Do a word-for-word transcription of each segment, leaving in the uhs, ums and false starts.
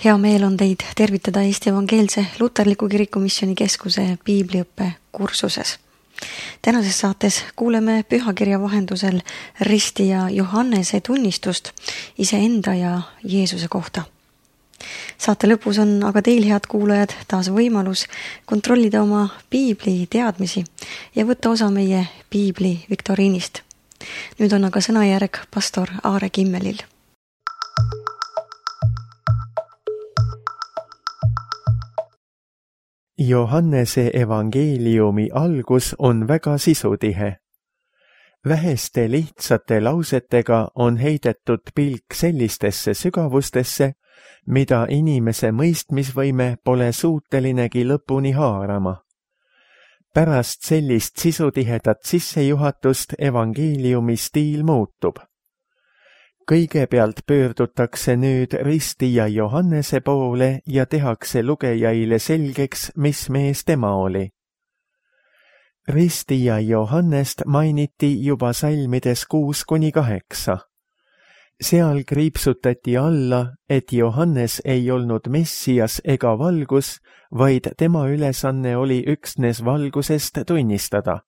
Hea meel on teid tervitada Eesti Evangeelse Luterliku Kirikumisjoni Keskuse piibliõppe kursuses. Tänases saates kuuleme pühakirja vahendusel ristija Johannese tunnistust iseenda ja Jeesuse kohta. Saate lõpus on aga teil, head kuulajad, taas võimalus kontrollida oma piibli teadmisi ja võtta osa meie piibli viktoriinist. Nüüd on aga sõnajärg pastor Aare Kimmelil. Johannese evangeeliumi algus on väga sisutihe. Väheste lihtsate lausetega on heidetud pilk sellistesse sügavustesse, mida inimese mõistmisvõime pole suutelinegi lõpuni haarama. Pärast sellist sisutihedat sissejuhatust evangeeliumi stiil muutub. Kõigepealt pöördutakse nüüd ristija Johannese poole ja tehakse lugejaile selgeks, mis mees tema oli. Ristija Johannest mainiti juba salmides kuus kuni kaheksa. Seal kriipsutati alla, et Johannes ei olnud Messias ega valgus, vaid tema ülesanne oli üksnes valgusest tunnistada.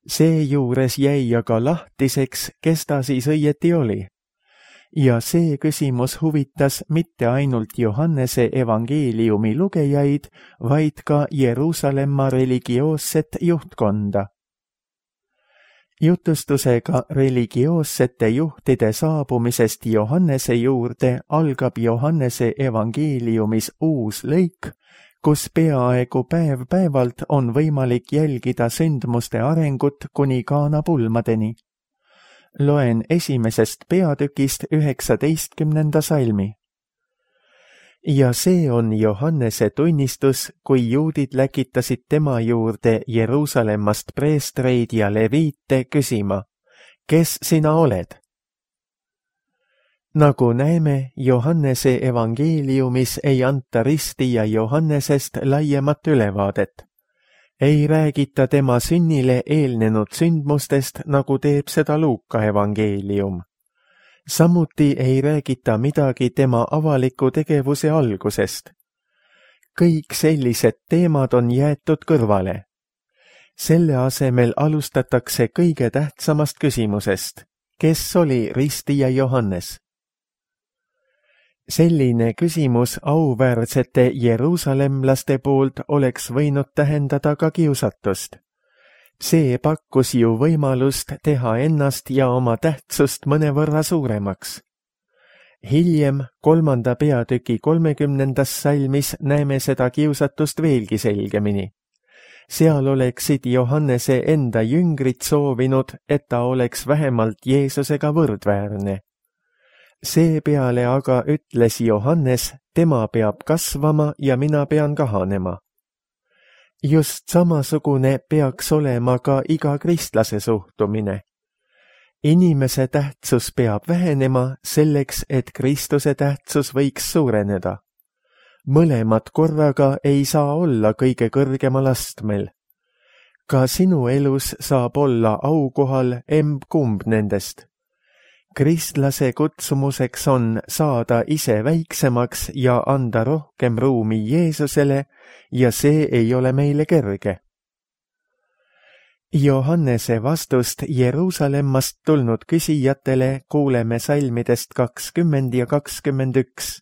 Seejuures jäi aga lahtiseks, kes ta siis õieti oli. Ja see küsimus huvitas mitte ainult Johannese evangeeliumi lugejaid, vaid ka Jeruusalemma religioosset juhtkonda. Jutustusega religioossete juhtide saabumisest Johannese juurde algab Johannese evangeeliumis uus lõik, kus peaaegu päev-päevalt on võimalik jälgida sündmuste arengut kuni Kaana pulmadeni. Loen esimesest peatükist üheksateistkümnenda salmi. Ja see on Johannese tunnistus, kui juudid läkitasid tema juurde Jeruusalemmast preestreid ja leviite küsima, kes sina oled? Nagu näeme, Johannese evangeeliumis ei anta ristija Johannesest laiemat ülevaadet. Ei räägita tema sünnile eelnenud sündmustest, nagu teeb seda Luuka evangeelium. Samuti ei räägita midagi tema avaliku tegevuse algusest. Kõik sellised teemad on jäetud kõrvale. Selle asemel alustatakse kõige tähtsamast küsimusest. Kes oli ristija Johannes? Selline küsimus auväärsete jeruusalemlaste poolt oleks võinud tähendada ka kiusatust. See pakkus ju võimalust teha ennast ja oma tähtsust mõnevõrra suuremaks. Hiljem, kolmanda peatüki kolmekümnendas salmis näeme seda kiusatust veelgi selgemini. Seal oleksid Johannese enda jüngrid soovinud, et ta oleks vähemalt Jeesusega võrdväärne. Seepeale aga ütles Johannes, tema peab kasvama ja mina pean kahanema. Just samasugune peaks olema ka iga kristlase suhtumine. Inimese tähtsus peab vähenema selleks, et Kristuse tähtsus võiks suureneda. Mõlemad korraga ei saa olla kõige kõrgemal astmel. Ka sinu elus saab olla aukohal emb-kumb nendest. Kristlase kutsumuseks on saada ise väiksemaks ja anda rohkem ruumi Jeesusele ja see ei ole meile kerge. Johannese vastust Jeruusalemmast tulnud küsijatele kuuleme salmidest kakskümmend ja kakskümmend üks.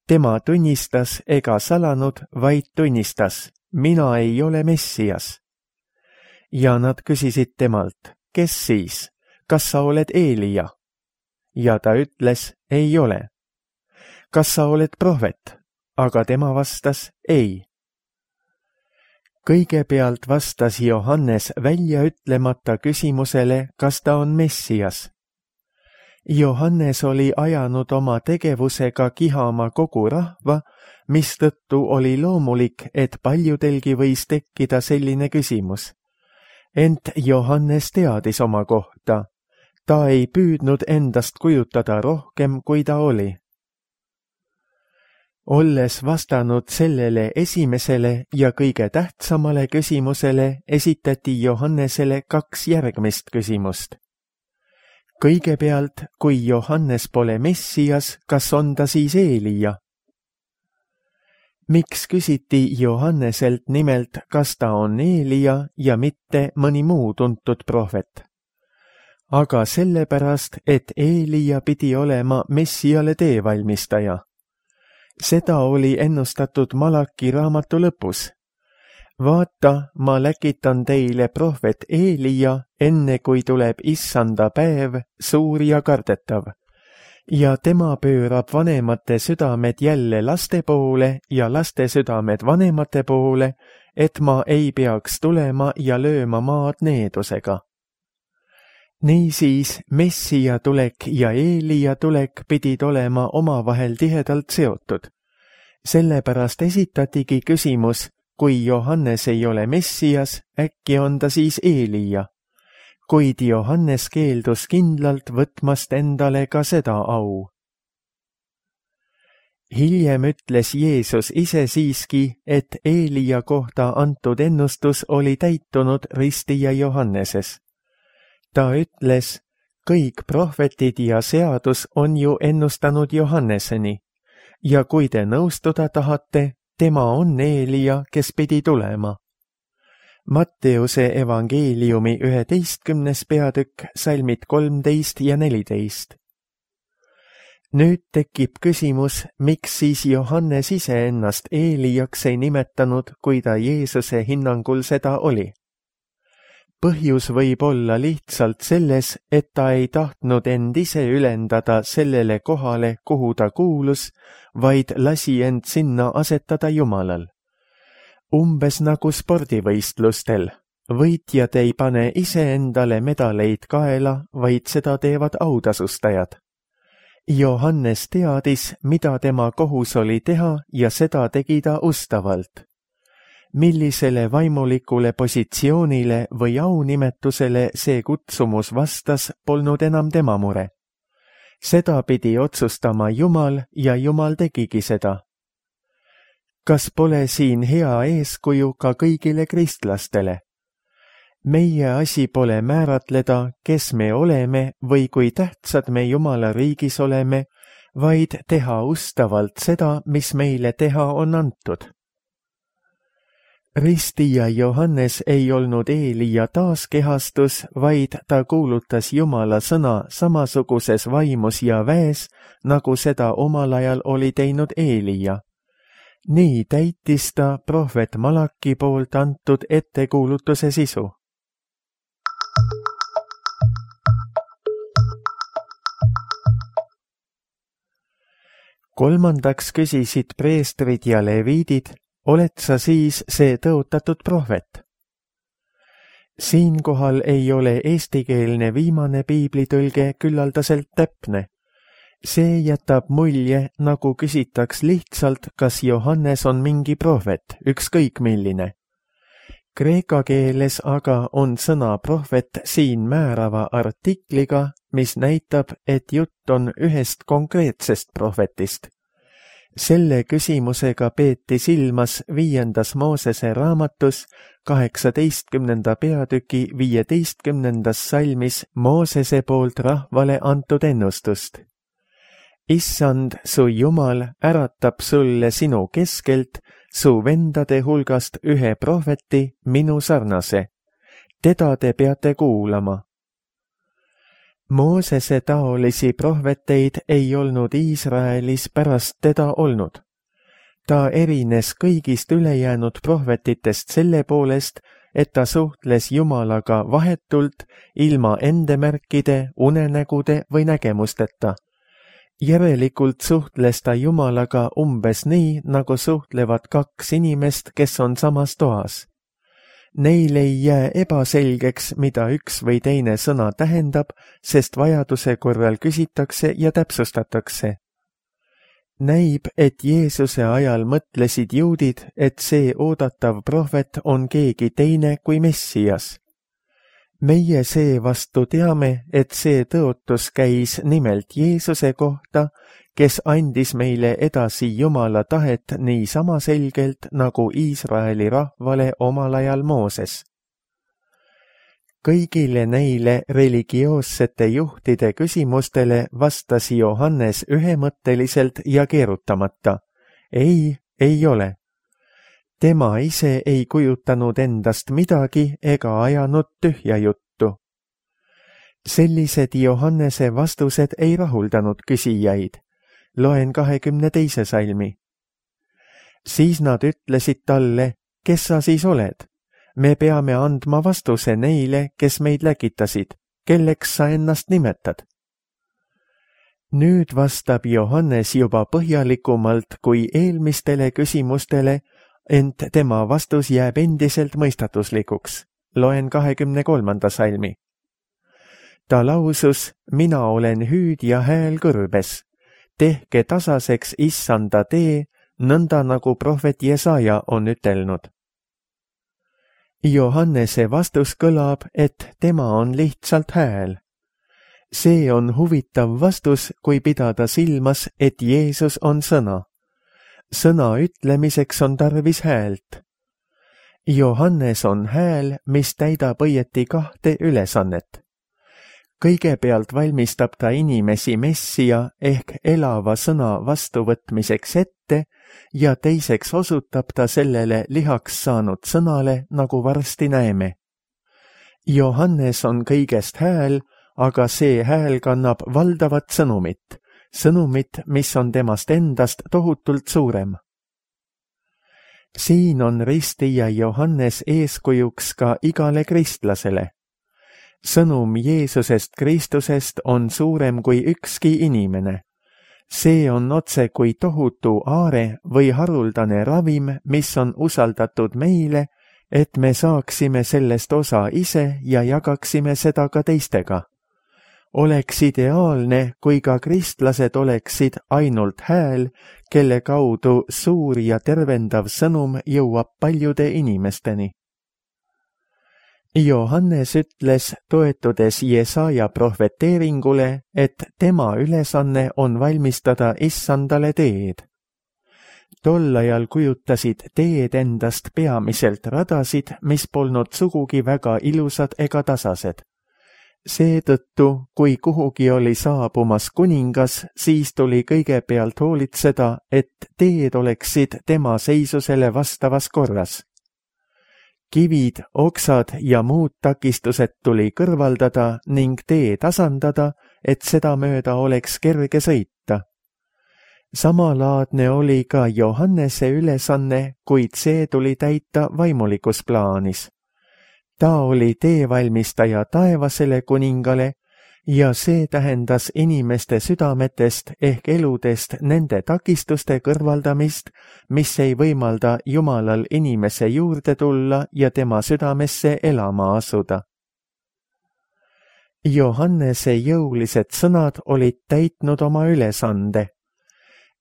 Tema tunnistas ega salanud, vaid tunnistas, mina ei ole Messias. Ja nad küsisid temalt, kes siis? Kas sa oled Eelija? Ja ta ütles, ei ole. Kas sa oled prohvet? Aga tema vastas, ei. Kõigepealt vastas Johannes välja ütlemata küsimusele, kas ta on Messias. Johannes oli ajanud oma tegevusega kihama kogu rahva, mistõttu oli loomulik, et paljudelgi võis tekkida selline küsimus. Ent Johannes teadis oma kohta. Ta ei püüdnud endast kujutada rohkem, kui ta oli. Olles vastanud sellele esimesele ja kõige tähtsamale küsimusele, esitati Johannesele kaks järgmist küsimust. kõigepealt, kui Johannes pole Messias, kas on ta siis Eelija? Miks küsiti Johanneselt nimelt, kas ta on Eelija ja mitte mõni muu tuntud prohvet? Aga sellepärast, et Eelija pidi olema Messiale teevalmistaja. Seda oli ennustatud Malaki raamatu lõpus. Vaata, ma läkitan teile prohvet Eelija, enne kui tuleb issanda päev, suur ja kardetav. Ja tema pöörab vanemate südamed jälle laste poole ja laste südamed vanemate poole, et ma ei peaks tulema ja lööma maad needusega. Niisiis, Messia tulek ja Eelija tulek pidid olema omavahel tihedalt seotud. Sellepärast esitatigi küsimus, kui Johannes ei ole Messias, äkki on ta siis Eelija. Kuid Johannes keeldus kindlalt võtmast endale ka seda au. Hiljem ütles Jeesus ise siiski, et Eelija kohta antud ennustus oli täitunud ristija Johanneses. Ta ütles, kõik prohvetid ja seadus on ju ennustanud Johanneseni, ja kui te nõustuda tahate, tema on Eelija, kes pidi tulema. Matteuse evangeeliumi üheteistkümnes peatükk, salmid kolmteist ja neliteist. Nüüd tekib küsimus, miks siis Johannes ise ennast Eelijaks ei nimetanud, kui ta Jeesuse hinnangul seda oli. Põhjus võib olla lihtsalt selles, et ta ei tahtnud end ise ülendada sellele kohale, kuhu ta kuulus, vaid lasi end sinna asetada Jumalal. Umbes nagu spordivõistlustel. Võitjad ei pane ise endale medaleid kaela, vaid seda teevad autasustajad. Johannes teadis, mida tema kohus oli teha ja seda tegi ta ustavalt. Millisele vaimulikule positsioonile või aunimetusele see kutsumus vastas, polnud enam tema mure. Seda pidi otsustama Jumal ja Jumal tegigi seda. Kas pole siin hea eeskuju ka kõigile kristlastele? Meie asi pole määratleda, kes me oleme või kui tähtsad me Jumala riigis oleme, vaid teha ustavalt seda, mis meile teha on antud. Ristija Johannes ei olnud Eelija taaskehastus, vaid ta kuulutas Jumala sõna samasuguses vaimus ja väes, nagu seda omal ajal oli teinud Eelija. Nii täitis ta prohvet Malaki poolt antud ettekuulutuse sisu. Kolmandaks küsisid preestrid ja leviidid, oled sa siis see tõotatud prohvet? Siinkohal ei ole eestikeelne viimane piiblitõlge küllaldaselt täpne. See jätab mulje, nagu küsitaks lihtsalt, kas Johannes on mingi prohvet, ükskõik milline. Kreeka keeles aga on sõna prohvet siin määrava artikliga, mis näitab, et jutt on ühest konkreetsest prohvetist. Selle küsimusega peeti silmas viiendas Moosese raamatus kaheksateistkümnenda peatüki viieteistkümnendas salmis Moosese poolt rahvale antud ennustust. Issand, su Jumal äratab sulle sinu keskelt, su vendade hulgast ühe prohveti, minu sarnase. Teda te peate kuulama. Moosese taolisi prohveteid ei olnud Iisraelis pärast teda olnud. Ta erines kõigist ülejäänud prohvetitest selle poolest, et ta suhtles Jumalaga vahetult, ilma endemärkide, unenägude või nägemusteta. Järelikult suhtles ta Jumalaga umbes nii, nagu suhtlevad kaks inimest, kes on samas toas. Neil ei jää ebaselgeks, mida üks või teine sõna tähendab, sest vajaduse korral küsitakse ja täpsustatakse. Näib, et Jeesuse ajal mõtlesid juudid, et see oodatav prohvet on keegi teine kui Messias. Meie seevastu teame, et see tõotus käis nimelt Jeesuse kohta, kes andis meile edasi Jumala tahet nii sama selgelt nagu Iisraeli rahvale omal ajal Mooses. kõigile neile religioossete juhtide küsimustele vastas Johannes ühemõtteliselt ja keerutamata. Ei, ei ole. Tema ise ei kujutanud endast midagi ega ajanud tühja juttu. Sellised Johannese vastused ei rahuldanud küsijaid. Loen kahekümne teise salmi. Siis nad ütlesid talle, kes sa siis oled? Me peame andma vastuse neile, kes meid läkitasid. Kelleks sa ennast nimetad? Nüüd vastab Johannes juba põhjalikumalt kui eelmistele küsimustele, ent tema vastus jääb endiselt mõistatuslikuks. Loen kahekümne kolmanda salmi. Ta lausus, mina olen hüüd ja hääl kõrbes. Tehke tasaseks issanda tee, nõnda nagu prohvet Jesaja on ütelnud. Johannese vastus kõlab, et tema on lihtsalt hääl. See on huvitav vastus, kui pidada silmas, et Jeesus on sõna. Sõna ütlemiseks on tarvis häält. Johannes on hääl, mis täidab õieti kahte ülesannet. Kõigepealt valmistab ta inimesi messia ehk elava sõna vastuvõtmiseks ette ja teiseks osutab ta sellele lihaks saanud sõnale, nagu varsti näeme. Johannes on kõigest hääl, aga see hääl kannab valdavat sõnumit, sõnumit, mis on temast endast tohutult suurem. Siin on ristija Johannes eeskujuks ka igale kristlasele. Sõnum Jeesusest Kristusest on suurem kui ükski inimene. See on otse kui tohutu aare või haruldane ravim, mis on usaldatud meile, et me saaksime sellest osa ise ja jagaksime seda ka teistega. Oleks ideaalne, kui ka kristlased oleksid ainult hääl, kelle kaudu suur ja tervendav sõnum jõuab paljude inimesteni. Johannes ütles, toetudes Jesaja prohveteeringule, et tema ülesanne on valmistada issandale teed. Tol ajal kujutasid teed endast peamiselt radasid, mis polnud sugugi väga ilusad ega tasased. Seetõttu, kui kuhugi oli saabumas kuningas, siis tuli kõigepealt hoolitseda, et teed oleksid tema seisusele vastavas korras. Kivid, oksad ja muud takistused tuli kõrvaldada ning tee tasandada, et seda mööda oleks kerge sõita. Samalaadne oli ka Johannese ülesanne, kuid see tuli täita vaimulikus plaanis. Ta oli teevalmistaja taevasele kuningale ja see tähendas inimeste südametest ehk eludest nende takistuste kõrvaldamist, mis ei võimalda Jumalal inimese juurde tulla ja tema südamesse elama asuda. Johannese jõulised sõnad olid täitnud oma ülesande.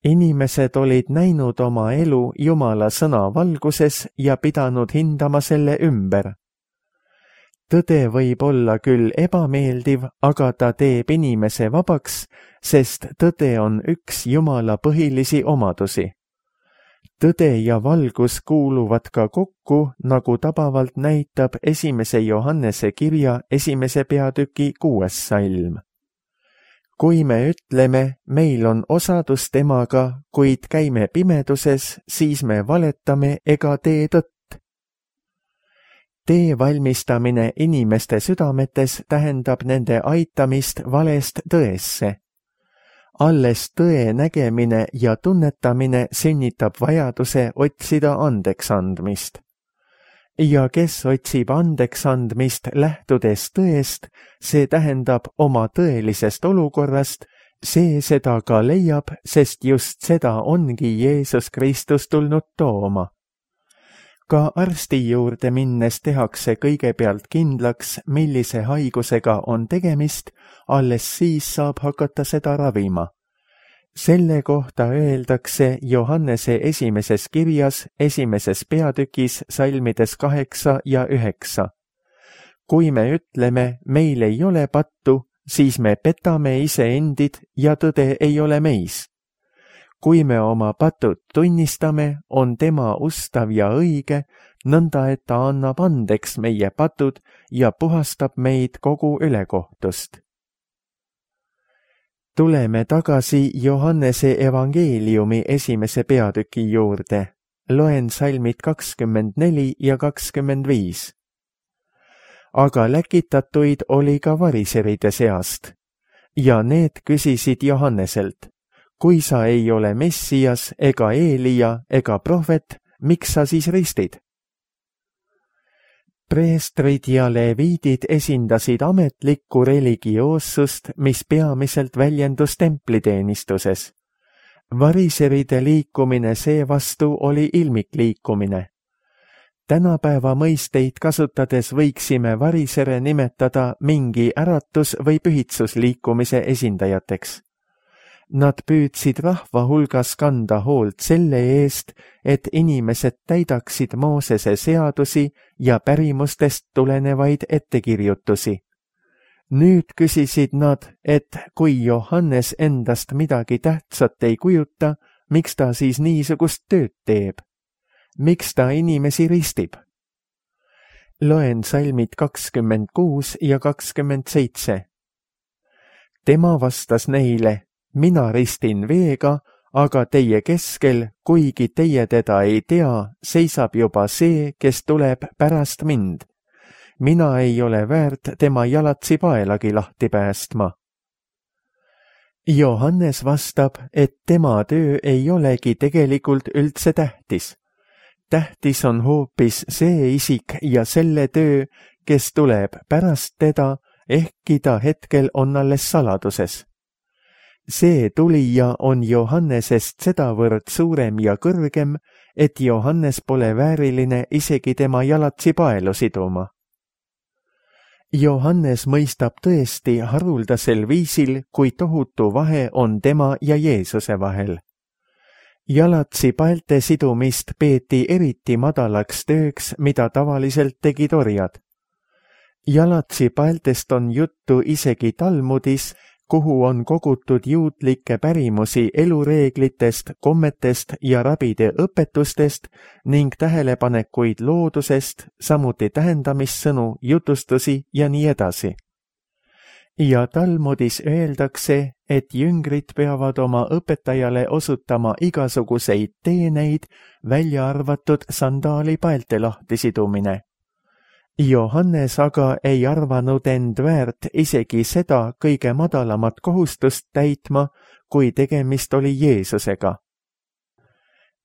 Inimesed olid näinud oma elu Jumala sõna valguses ja pidanud hindama selle ümber. Tõde võib olla küll ebameeldiv, aga ta teeb inimese vabaks, sest tõde on üks Jumala põhilisi omadusi. Tõde ja valgus kuuluvad ka kokku, nagu tabavalt näitab esimese Johannese kirja esimese peatüki kuues salm. Kui me ütleme, meil on osadus temaga, kuid käime pimeduses, siis me valetame ega tee tõtt. Tee valmistamine inimeste südametes tähendab nende aitamist valest tõesse. Alles tõe nägemine ja tunnetamine sünnitab vajaduse otsida andeks andmist. Ja kes otsib andeks andmist lähtudes tõest, see tähendab oma tõelisest olukorrast, see seda ka leiab, sest just seda ongi Jeesus Kristus tulnud tooma. Ka arsti juurde minnes tehakse kõigepealt kindlaks, millise haigusega on tegemist, alles siis saab hakata seda ravima. Selle kohta öeldakse Johannese esimeses kirjas, esimeses peatükis, salmides kaheksa ja üheksa. Kui me ütleme, meil ei ole pattu, siis me petame iseendid ja tõde ei ole meis. Kui me oma patud tunnistame, on tema ustav ja õige, nõnda et ta annab andeks meie patud ja puhastab meid kogu ülekohtust. Tuleme tagasi Johannese evangeeliumi esimese peatüki juurde. Loen salmid kakskümmend neli ja kakskümmend viis. Aga läkitatuid oli ka variseride seast. Ja need küsisid Johanneselt, kui sa ei ole Messias ega Eelia ega prohvet, miks sa siis ristid? Preestrid ja leviidid esindasid ametlikku religioossust, mis peamiselt väljendus templiteenistuses. Variseride liikumine seevastu oli ilmikliikumine. Tänapäeva mõisteid kasutades võiksime varisere nimetada mingi äratus- või pühitsusliikumise esindajateks. Nad püüdsid rahva hulgas kanda hoolt selle eest, et inimesed täidaksid Moosese seadusi ja pärimustest tulenevaid ettekirjutusi. Nüüd küsisid nad, et kui Johannes endast midagi tähtsat ei kujuta, miks ta siis niisugust tööd teeb? Miks ta inimesi ristib? Loen salmid kakskümmend kuus ja kakskümmend seitse. Tema vastas neile, mina ristin veega, aga teie keskel, kuigi teie teda ei tea, seisab juba see, kes tuleb pärast mind. Mina ei ole väärt tema jalatsi paelagi lahti päästma. Johannes vastab, et tema töö ei olegi tegelikult üldse tähtis. Tähtis on hoopis see isik ja selle töö, kes tuleb pärast teda, ehkki ta hetkel on alles saladuses. See tulija on Johannesest sedavõrd suurem ja kõrgem, et Johannes pole vääriline isegi tema jalatsi paelu siduma. Johannes mõistab tõesti haruldasel viisil, kui tohutu vahe on tema ja Jeesuse vahel. Jalatsi paelte sidumist peeti eriti madalaks tööks, mida tavaliselt tegid orjad. Jalatsi paeltest on juttu isegi Talmudis, kuhu on kogutud juutlikke pärimusi elureeglitest, kommetest ja rabide õpetustest ning tähelepanekuid loodusest, samuti tähendamissõnu, jutustusi ja nii edasi. Ja Talmudis öeldakse, et jüngrid peavad oma õpetajale osutama igasuguseid teeneid, välja arvatud sandaali paelte lahtisidumine. Johannes aga ei arvanud end väärt isegi seda kõige madalamat kohustust täitma, kui tegemist oli Jeesusega.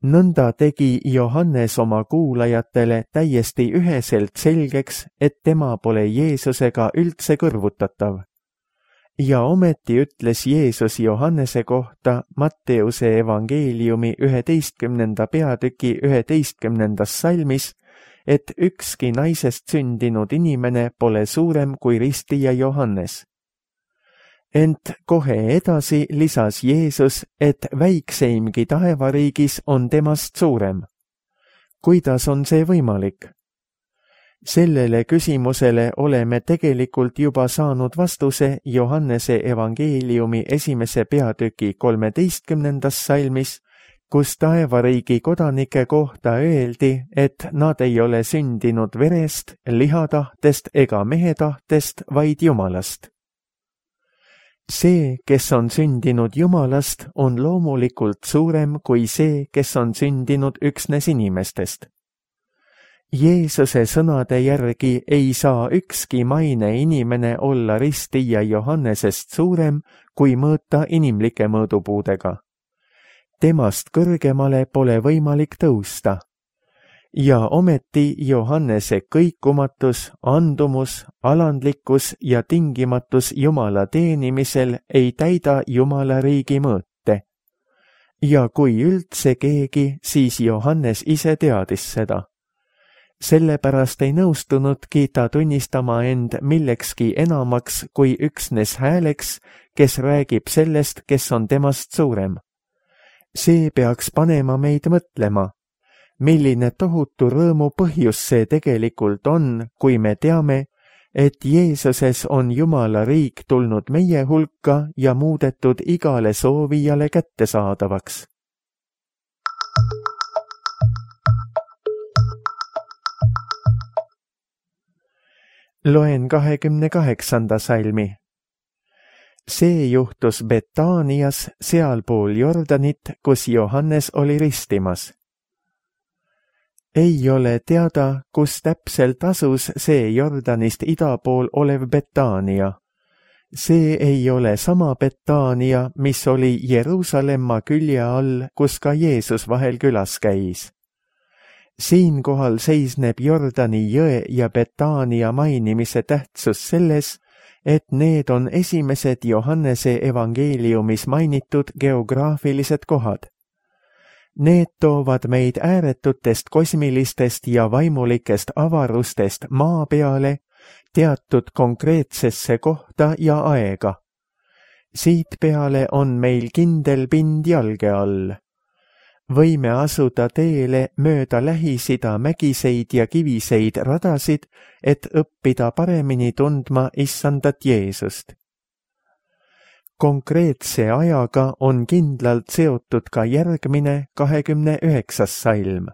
Nõnda tegi Johannes oma kuulajatele täiesti üheselt selgeks, et tema pole Jeesusega üldse kõrvutatav. Ja ometi ütles Jeesus Johannese kohta Matteuse evangeeliumi üheteistkümnenda peatüki üheteistkümnendas salmis, et ükski naisest sündinud inimene pole suurem kui ristija Johannes. Ent kohe edasi lisas Jeesus, et väikseimgi taevariigis on temast suurem. Kuidas on see võimalik? Sellele küsimusele oleme tegelikult juba saanud vastuse Johannese evangeeliumi esimese peatüki kolmeteistkümnendas salmis, kus taevariigi kodanike kohta öeldi, et nad ei ole sündinud verest, lihatahtest ega mehe tahtest, vaid Jumalast. See, kes on sündinud Jumalast, on loomulikult suurem kui see, kes on sündinud üksnes inimestest. Jeesuse sõnade järgi ei saa ükski maine inimene olla ristija Johannesest suurem, kui mõõta inimlike mõõdupuudega. Temast kõrgemale pole võimalik tõusta. Ja ometi Johannese kõikumatus, andumus, alandlikkus ja tingimatus Jumala teenimisel ei täida Jumala riigi mõõte. Ja kui üldse keegi, siis Johannes ise teadis seda. Sellepärast ei nõustunudki ta tunnistama end millekski enamaks kui üksnes hääleks, kes räägib sellest, kes on temast suurem. See peaks panema meid mõtlema, milline tohutu rõõmu põhjus see tegelikult on, kui me teame, et Jeesuses on Jumala riik tulnud meie hulka ja muudetud igale soovijale kättesaadavaks. Loen kahekümne kaheksanda salmi. See juhtus Betaanias sealpool Jordanit, kus Johannes oli ristimas. Ei ole teada, kus täpselt asus see Jordanist ida pool olev Betaania. See ei ole sama Betaania, mis oli Jeruusalemma külje all, kus ka Jeesus vahel külas käis. Siinkohal seisneb Jordani jõe ja Betaania mainimise tähtsus selles, et need on esimesed Johannese evangeeliumis mainitud geograafilised kohad. Need toovad meid ääretutest kosmilistest ja vaimulikest avarustest maa peale teatud konkreetsesse kohta ja aega. Siit peale on meil kindel pind jalge all. Võime asuda teele mööda Lähis-Ida mägiseid ja kiviseid radasid, et õppida paremini tundma issandat Jeesust. Konkreetse ajaga on kindlalt seotud ka järgmine kahekümne üheksas salm.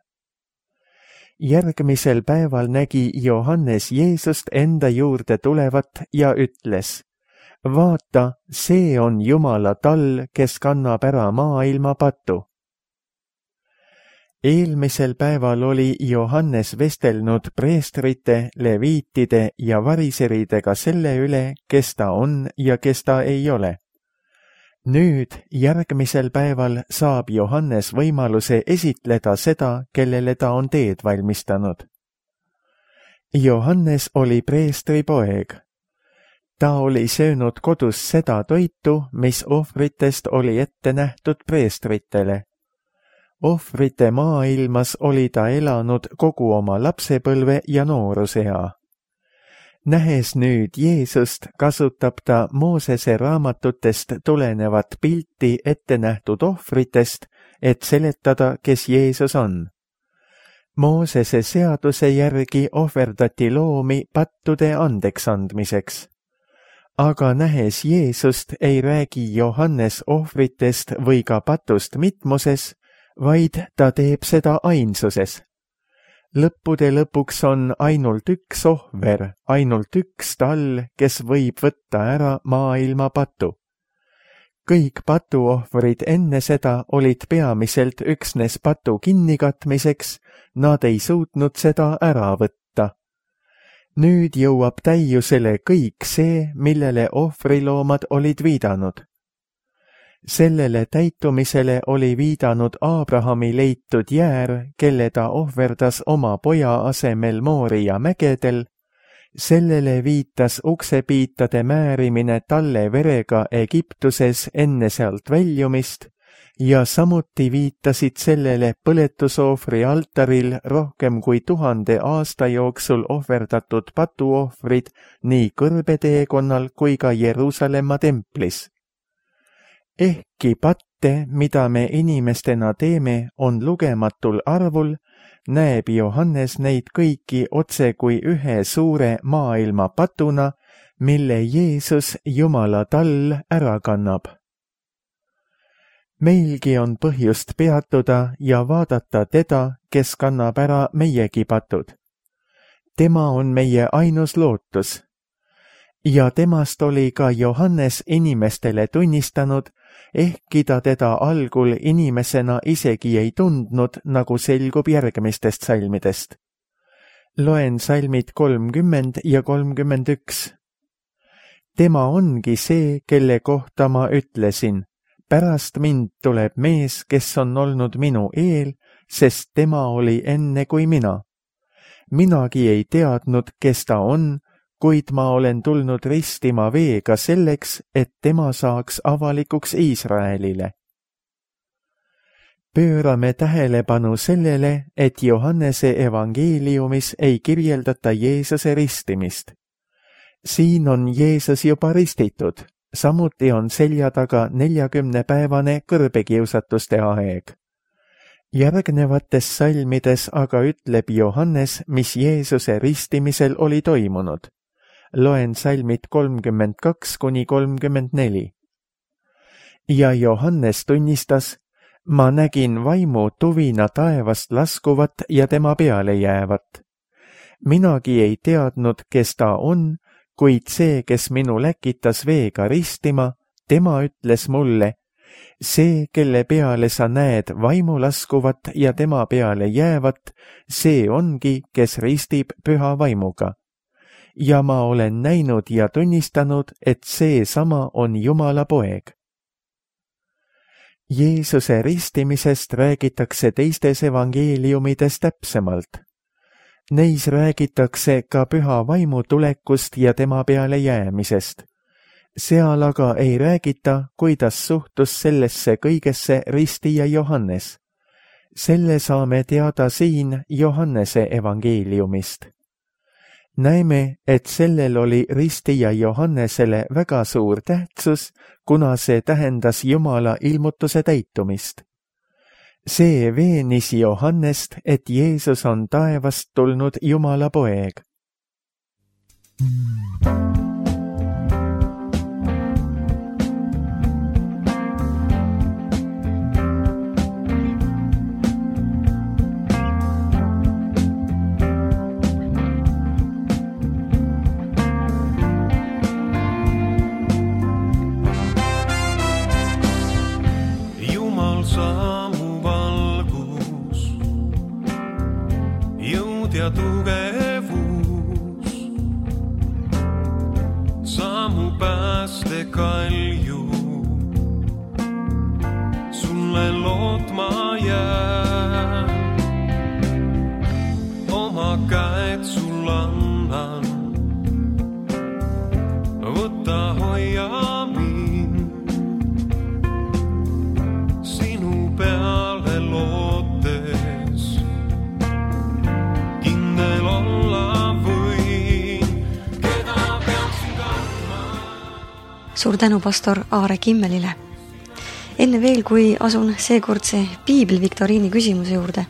Järgmisel päeval nägi Johannes Jeesust enda juurde tulevat ja ütles, vaata, see on Jumala tall, kes kannab ära maailma patu. Eelmisel päeval oli Johannes vestelnud preestrite, leviitide ja variseridega selle üle, kes ta on ja kes ta ei ole. Nüüd, järgmisel päeval saab Johannes võimaluse esitleda seda, kellele ta on teed valmistanud. Johannes oli preestri poeg. Ta oli söönud kodus seda toitu, mis ohvritest oli ette nähtud preestritele. Ohvrite maailmas oli ta elanud kogu oma lapsepõlve ja noorusea. Nähes nüüd Jeesust, kasutab ta Moosese raamatutest tulenevat pilti ette nähtud ohvritest, et seletada, kes Jeesus on. Moosese seaduse järgi ohverdati loomi pattude andeksandmiseks. Aga nähes Jeesust, ei räägi Johannes ohvritest või ka patust mitmuses, vaid ta teeb seda ainsuses. Lõppude lõpuks on ainult üks ohver, ainult üks tall, kes võib võtta ära maailma patu. Kõik patuohvrid enne seda olid peamiselt üksnes patu kinnikatmiseks, nad ei suutnud seda ära võtta. Nüüd jõuab täiusele kõik see, millele ohvriloomad olid viidanud. Sellele täitumisele oli viidanud Abrahami leitud jäär, kelle ta ohverdas oma poja asemel Mooria mägedel. Sellele viitas uksepiitade määrimine talle verega Egiptuses enne sealt väljumist ja samuti viitasid sellele põletusohvri altaril rohkem kui tuhande aasta jooksul ohverdatud patuohvrid nii kõrbeteekonnal kui ka Jeruusalemma templis. Ehkki patte, mida me inimestena teeme, on lugematul arvul, näeb Johannes neid kõiki otse kui ühe suure maailma patuna, mille Jeesus Jumala tall ära kannab. Meilgi on põhjust peatuda ja vaadata teda, kes kannab ära meiegi patud. Tema on meie ainus lootus. Ja temast oli ka Johannes inimestele tunnistanud, ehkki ta teda algul inimesena isegi ei tundnud, nagu selgub järgmistest salmidest. Loen salmid kolmkümmend ja kolmkümmend üks. Tema ongi see, kelle kohta ma ütlesin, pärast mind tuleb mees, kes on olnud minu eel, sest tema oli enne kui mina. Minagi ei teadnud, kes ta on, kuid ma olen tulnud ristima veega selleks, et tema saaks avalikuks Iisraelile. Pöörame tähelepanu sellele, et Johannese evangeeliumis ei kirjeldata Jeesuse ristimist. Siin on Jeesus juba ristitud, samuti on selja taga neljakümnepäevane kõrbekiusatuste aeg. Järgnevates salmides aga ütleb Johannes, mis Jeesuse ristimisel oli toimunud. Loen salmid kolmkümmend kaks kuni kolmkümmend neli. Ja Johannes tunnistas, ma nägin vaimu tuvina taevast laskuvat ja tema peale jäävat. Minagi ei teadnud, kes ta on, kuid see, kes minu läkitas veega ristima, tema ütles mulle, see, kelle peale sa näed vaimu laskuvat ja tema peale jäävat, see ongi, kes ristib püha vaimuga. Ja ma olen näinud ja tunnistanud, et see sama on Jumala poeg. Jeesuse ristimisest räägitakse teistes evangeeliumides täpsemalt. Neis räägitakse ka püha vaimu tulekust ja tema peale jäämisest. Seal aga ei räägita, kuidas suhtus sellesse kõigesse ristija Johannes. Selle saame teada siin Johannese evangeeliumist. Näeme, et sellel oli ristija Johannesele väga suur tähtsus, kuna see tähendas Jumala ilmutuse täitumist. See veenis Johannest, et Jeesus on taevast tulnud Jumala poeg. Ja tugevus, sammu pääste kalju, sulle lootma jää, oma käed sul annan, võta hoia mind, sinu peale lootes. Suur tänu pastor Aare Kimmelile. Enne veel, kui asun seekordse piibliviktoriini küsimuse juurde,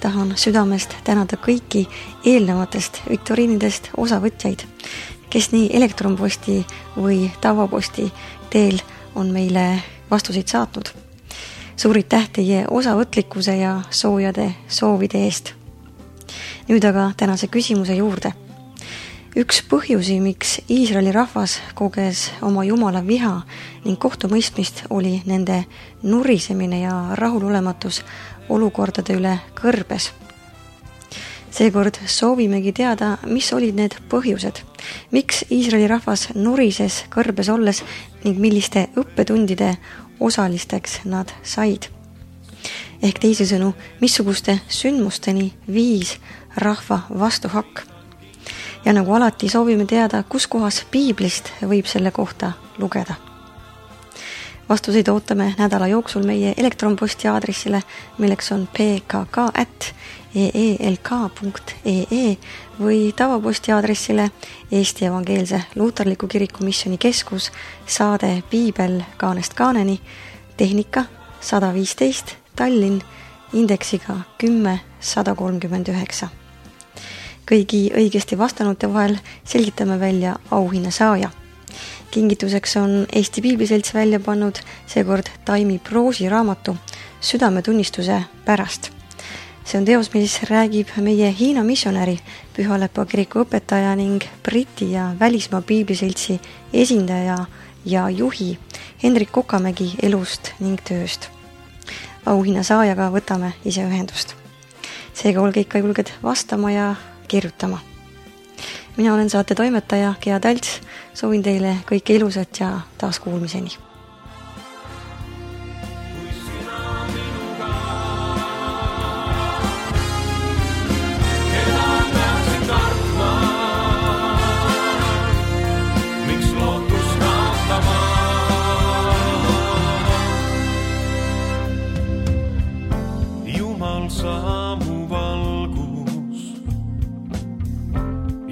tahan südamest tänada kõiki eelnevatest viktoriinidest osavõtjaid, kes nii elektronposti või tavaposti teel on meile vastuseid saatnud. Suur aitäh teie osavõtlikkuse ja soojade soovide eest. Nüüd aga tänase küsimuse juurde. Üks põhjusi, miks Iisraeli rahvas koges oma Jumala viha ning kohtumõistmist, oli nende nurisemine ja rahulolematus olukordade üle kõrbes. Seekord soovimegi teada, mis olid need põhjused, miks Iisraeli rahvas nurises kõrbes olles ning milliste õppetundide osalisteks nad said. Ehk teisisõnu, missuguste sündmusteni viis rahva vastuhakk. Ja nagu alati soovime teada, kus kohas piiblist võib selle kohta lugeda. Vastuseid ootame nädala jooksul meie elektronposti aadressile, milleks on p k k at e e l k punkt e e või tavaposti aadressile Eesti Evangeelse Luuterliku Kiriku Missiooni Keskus, saade Piibel kaanest kaaneni, tehnika sada viisteist, Tallinn, indeksiga kümme sada kolmkümmend üheksa. Kõigi õigesti vastanute vahel selgitame välja auhinna saaja. Kingituseks on Eesti Piibliselts välja pannud seekord Taimi Proosi raamatu Südametunnistuse pärast. See on teos, mis räägib meie Hiina missionäri, Pühalepa kiriku õpetaja ning Briti ja välismaa Piibliseltsi esindaja ja juhi Hendrik Kokamägi elust ning tööst. Auhinna saajaga võtame ise ühendust. Seega olge ikka julged vastama ja kirjutama. Mina olen saate toimetaja Gea Talts, soovin teile kõike ilusat ja taas kuulmiseni.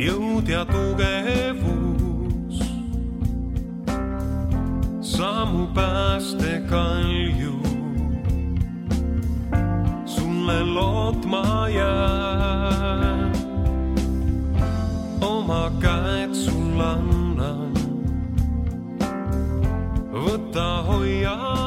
Jõud ja tugevus, sammu pääste kalju, sulle lootma jää, oma käed sul annan, võta hoia